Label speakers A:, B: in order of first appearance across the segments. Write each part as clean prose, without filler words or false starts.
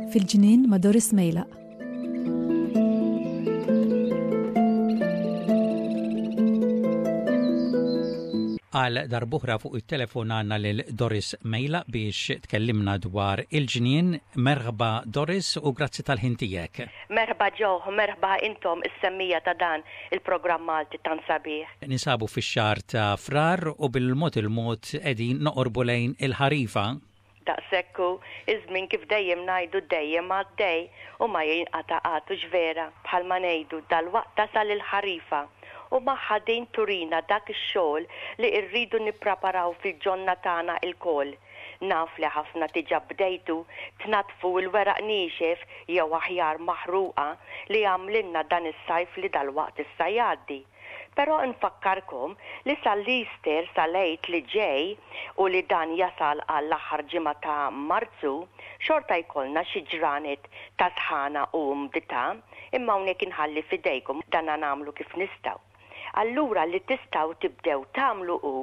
A: Fil-ġnien ma' Doris Mejlaq.
B: Għal darb'oħra fuq it-telefon għandna lil Doris Mejlaq biex tkellimna dwar il-ġnien. Merħba Doris u grazzi tal-ħin tiegħek.
C: Merħba Joe u merħba intom is-semmiegħa ta' dan il-programm Malti tant sabiħ.
B: Ninsabu fix-xahar ta' Frar u bil-mod il-mod qegħdin noqorbu lejn il-ħarifa.
C: Daqshekk hu, iż-żmien kif dejjem ngħidu dejjem għaddej u ma jinqata' qatt hux vera? Bħalma ngħidu, dalwaqt tasal il-ħarifa u magħha din turina dak ix-xogħol li rridu nippraparaw fil-ġonna tagħna ilkoll. Naf li ħafna diġà bdejtu tnaddfu l-weraq niexef jew aħjar maħruqa li għamlilna dan is-sajf li dalwaqt issa jgħaddi. Però nfakkarkom li sal-Easter, sal-Għid li ġej u li dan jasal għall-aħħar ġimgħa ta' Marzu, xorta jkollna xi ġranet ta' sħana u umdità, imma hawnhekk inħalli f'idejkom, dana nagħmlu kif nistgħu. Allura li tistgħu tibdew tagħmlu hu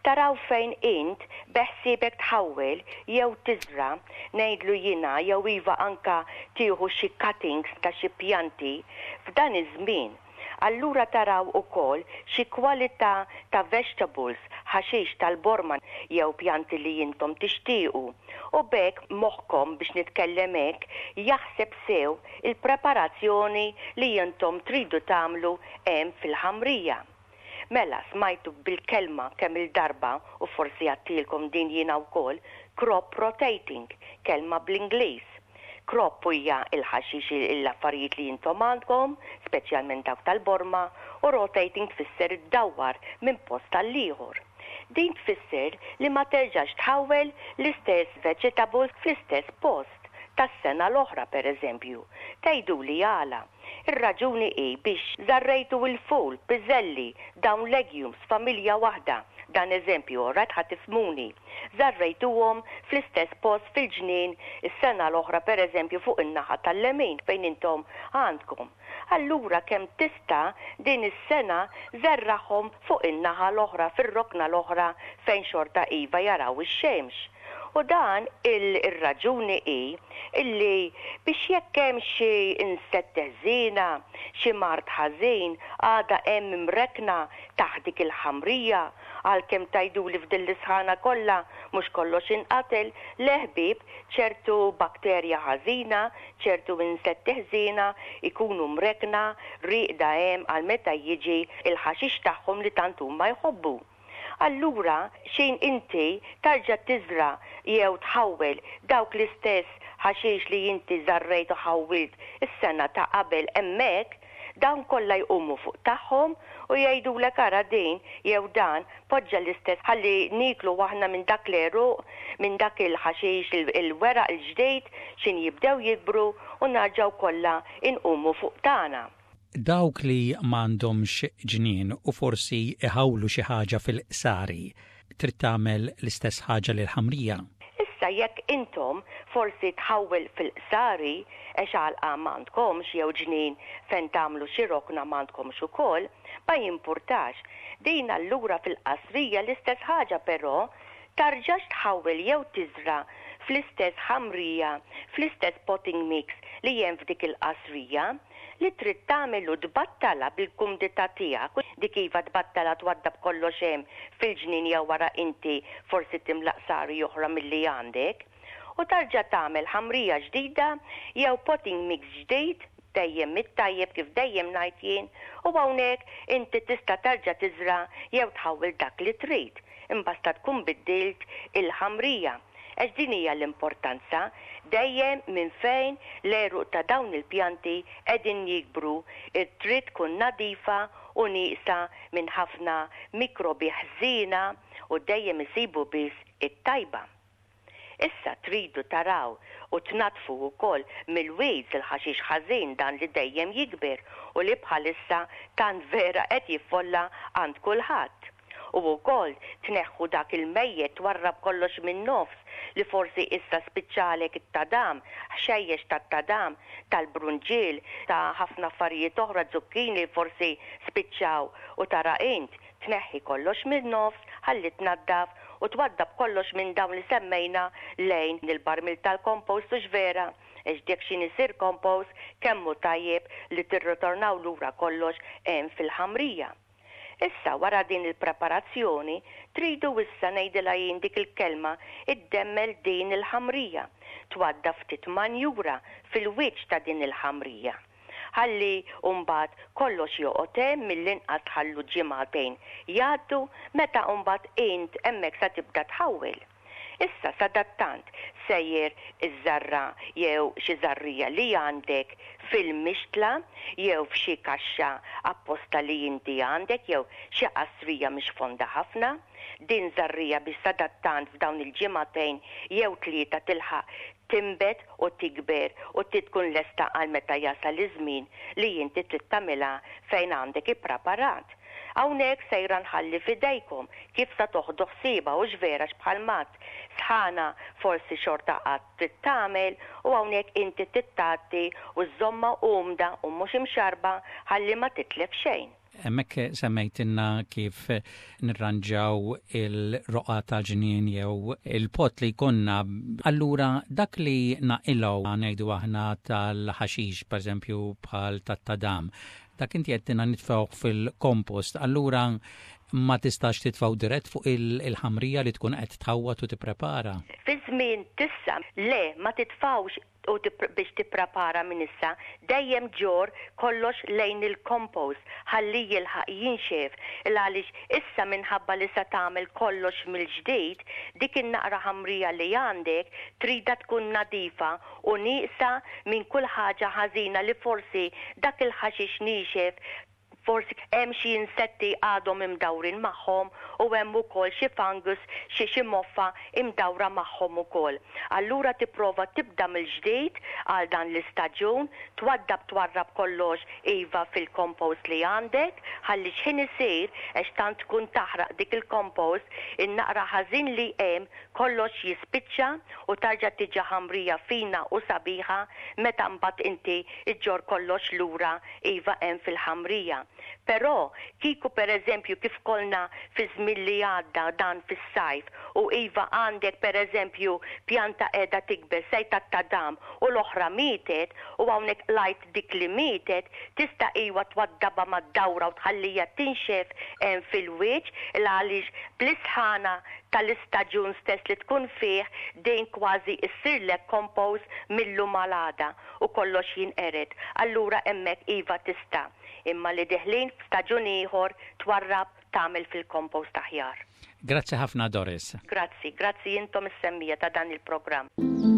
C: taraw fejn int beħsiebek tħawwel jew tiżra', ngħidlu jiena jew iva anka tieħu xi cuttings ta' xi pjanti f'dan iż-żmien. Allura taraw ukoll xi kwalità ta' vegetables, ħaxix tal-borma jew pjanti li intom tixtiequ. U b'hekk moħħkom, biex nitkellem hekk, jaħseb sew il-preparazzjoni li intom tridu tagħmlu hemm fil-ħamrija. Mela, smajtu bil-kelma kemm-il darba, u forsi għadtilkom din jiena wkoll, crop rotating, kelma bl-Ingliż. Crop hija l-ħaxix, l-affarijiet li intom għandkom, speċjalment dawk tal-borma, u rotating tfisser iddawwar minn post għall-ieħor. Din tfisser li ma terġax tħawwel l-istess vegetables fl-istess post tas-sena l-oħra pereżempju. Tgħiduli għala? Ir-raġuni hi biex żarrejtu il-ful, piżelli, dawn legumes, familja waħda, dan eżempju, alright ħa tifhmuni. Żarrejtuhom fl-istess post fil-ġnien is-sena l-oħra pereżempju fuq in-naħa tal-lemin fejn intom għandkom. Allura kemm tista' din is-sena żerragħhom fuq in-naħa l-oħra, fir-rokna l-oħra fejn xorta iva jaraw ix-xemx. U dan il-raġuni hi illi biex jekk hemm xi insetti ħżiena, xi mard ħażin għadha hemm imrekkna taħt dik il-ħamrija, għalkemm tgħiduli f'din l-isħana kollha mhux kollox inqatel, le ħbieb, ċertu bakterja ħażina, ċertu insetti ħżiena jkunu mrekkna, rieqda hemm għal meta jiġi l-ħaxix tagħhom li tant huma jħobbu. Allura xejn inti tarġa' tiżra' jew tħawwel dawk l-istess ħaxix li inti żarrejt u ħawwilt is-sena ta' qabel hemmhekk, dawn kollha jqumu fuq tagħhom u jgħidulek ara din jew dan poġġa l-istess ħalli nieklu aħna minn dak l-għeruq, minn dak il-ħaxix il-weraq il-ġdid x'in jibdew jikbru u narġgħu kollha inqumu fuq tagħna.
B: Dawk li m'għandhomx ġnien u forsi jħawlu xi ħaġa fil-qsari, trid tagħmel l-istess ħaġa lill-ħamrija.
C: Issa jekk intom forsi tħawwel fil-qsari għex għalqa m'għandkomx jew ġnien fejn tagħmlu xi rokna m'għandkomx ukoll, ma jimpurtax. Din allura fil-qasrija l-istess ħaġa però tarġax tħawwel jew tiżra' fl-istess ħamrija, fl-istess potting mix li hemm f'dik il-qasrija. Li trid tagħmel hu tbattalha bil-kumdità tiegħek, dik iva tbattalha twaddab kollox hemm fil-ġnien jew wara inti forsi timla qsari oħra milli għandek, u tarġa' tagħmel ħamrija ġdida jew potting mix ġdid, dejjem mit-tajjeb kif dejjem ngħid jien, u hawnhekk inti tista' tarġa' tiżra' jew tħawwel dak li trid, imbasta tkun biddilt il-ħamrija. Għax din hija l-importanza, dejjem minn fejn l-għeruq ta' dawn il-pjanti qegħdin jikbru trid tkun nadifa u nieqsa minn ħafna mikrobi ħżiena u dejjem isibu biss it-tajba. Issa tridu taraw u tnaddfu wkoll mill-weeds il-ħaxix ħażin dan li dejjem jikber u li bħalissa tant vera qed jiffolla għand kulħadd. U wkoll tneħħu dak il-mejjet twarrab kollox min-nofs li forsi issa spiċċalek it-tadam, ħxejjex tat-tadam, tal-brunġiel, ta' ħafna affarijiet oħra, zucchini li forsi spiċċaw u tara int, tneħħi kollox min-nofs ħalli tnaddaf u twaddab kollox minn dawn li semmejna lejn il-barmil tal-compost hux vera? Għax dik x'in isir compost kemm hu tajjeb li tirritornaw lura kollox hemm fil-ħamrija. Issa wara din il-preparazzjoni tridu issa ngħidilha jien dik il-kelma iddemmel din il-ħamrija, twaddaf ftit manjura fil-wiċċ ta' din il-ħamrija. Ħalli mbagħad kollox joqgħod hemm mill-inqas tħallu ġimagħtejn jgħaddu meta mbagħad int hemmhekk sa tibda tħawwel. Issa sadattant sejjer iżżarra' jew xi żarrija li għandek fil-mixtla jew f'xi kaxxa apposta li inti għandek jew xi qasrija mhix fonda ħafna. Din żarrija biex sadattant f'dawn il-ġimagħtejn jew tlieta tilħaq tinbet u tikber u tkun lesta għal meta jasal iż-żmien li inti trid tagħmilha fejn għandek ippraparat. Hawnhekk sejra nħalli f'idejkom kif sa toħdu ħsiebha hux vera għax bħal m'għedt sħana forsi xorta għad trid tagħmel u hawnhekk inti trid tgħatti u żżommha umda u mhux imxarrba ħalli ma titlef xejn.
B: Hemmhekk semmejtilna kif nirranġaw il-roqgħa tal-ġnien jew il-pot li jkollna. Allura dak li naqilgħu ngħidu aħna tal-ħaxix pereżempju bħal tat-tadam, Dak inti għedtilna nitfgħuh fil-kompost, allura ma tistax titfgħu dirett fuq il-ħamrija li tkun qed tħawwad u tipprepara?
C: Fi żmien t'issa, le, ma titfgħux u biex tipprepara minn issa, dejjem ġorr kollox lejn il-kompost ħalli jilħaq jinxef, il-għaliex issa minħabba li se tagħmel kollox mill-ġdid, dik in-naqra ħamrija li għandek tridha tkun nadifa u nieqsa minn kull ħaġa ħażina li forsi dak il-ħaxix niexef, forsi hemm xi insetti għadhom imdawrin magħhom u hemm ukoll xi fungus, xi xi moffa imdawra magħhom ukoll. Allura tipprova tibda mill-ġdid għal dan l-istaġun, twaddab twarrab kollox iva fil-compost li għandek, ħalli x'ħin isir, għax tant tkun taħraq dik il-compost, in-naqra ħażin li hemm Kollox jispiċċa u tarġa' tiġi ħamrija fina u sabiħa meta mbagħad inti ġġorr kollox lura iva hemm fil-ħamrija. Però kieku per eżempju kif kollna fiż-żmien li għadda dan fis-sajf u iva għandek per eżempju pjanta qiegħda tikber sejta tadam u l-oħra mietet u hawnhekk qlajt dik li mietet tista' iwa twaddabha mad-dawra u tħallija tinxef hemm fil-wiċċ il-għaliex bl-isħana tal-istaġun stess li tkun fih din kważi issirlek compost mil-lum għal għada u kollox jinqered. Allura hemmhekk iva tista'. Imma li deħlin f'staġun ieħor twarrab tagħmel fil-compost aħjar.
B: Grazzi ħafna Doris.
C: Grazzi, grazzi intom is-semmiegħa ta' dan il-programm.